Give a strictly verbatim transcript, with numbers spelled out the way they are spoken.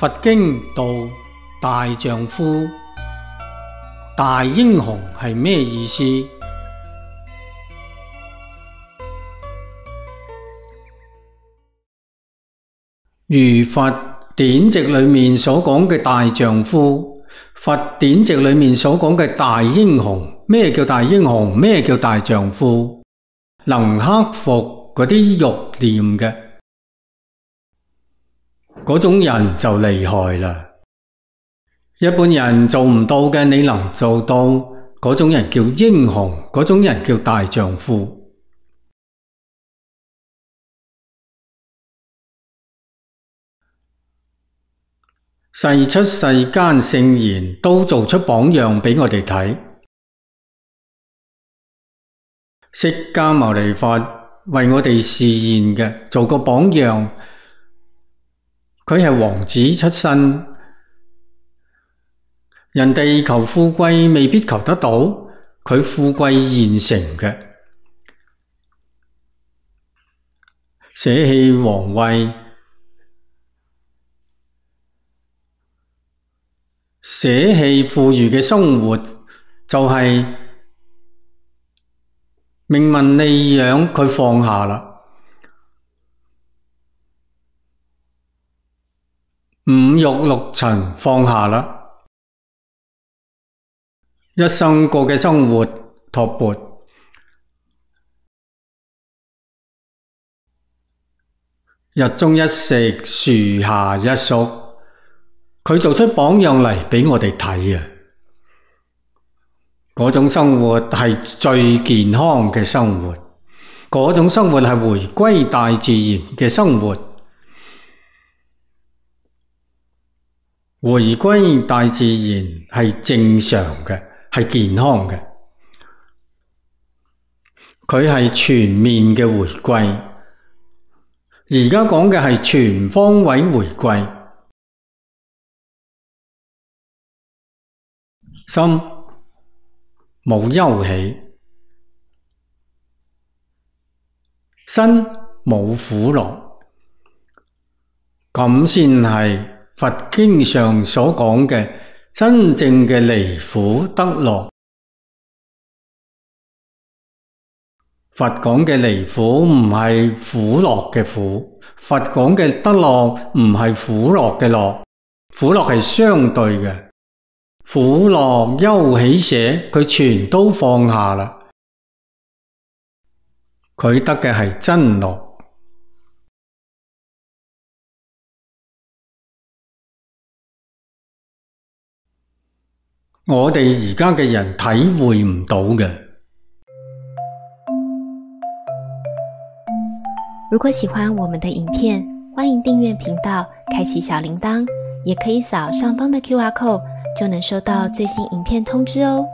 佛經道大丈夫，大英雄係咩意思？如佛典籍裏面所講嘅大丈夫，佛典籍裏面所講嘅大英雄，咩叫大英雄？咩叫大丈夫？能克服嗰啲欲念嘅嗰種人就厲害啦。一般人做唔到嘅，你能做到，嗰種人叫英雄，嗰種人叫大丈夫。世出世間聖賢都做出榜樣俾我哋睇。釋迦牟尼佛為我哋示現嘅，做個榜樣。佢係王子出身，人哋求富貴未必求得到，佢富貴現成嘅，捨棄皇位，捨棄富裕嘅生活，就係名聞利養，佢放下啦。五欲六塵放下啦，一生過嘅生活托缽，日中一食，樹下一宿，佢做出榜樣嚟俾我哋睇啊！嗰種生活係最健康嘅生活，嗰種生活係回歸大自然嘅生活。回歸大自然係正常嘅，係健康嘅，佢係全面嘅回歸。而家講嘅係全方位回歸，心冇憂喜，身冇苦樂，咁先係佛經上所講嘅真正嘅離苦得樂。佛講嘅離苦唔係苦樂嘅苦，佛講嘅得樂唔係苦樂嘅樂，苦樂係相對嘅，苦樂憂喜捨佢全都放下啦，佢得嘅係真樂。我哋而家嘅人體會唔到嘅。如果喜歡我們的影片，歡迎訂閱頻道，開啟小鈴鐺，也可以掃上方的 Q R code，就能收到最新影片通知哦。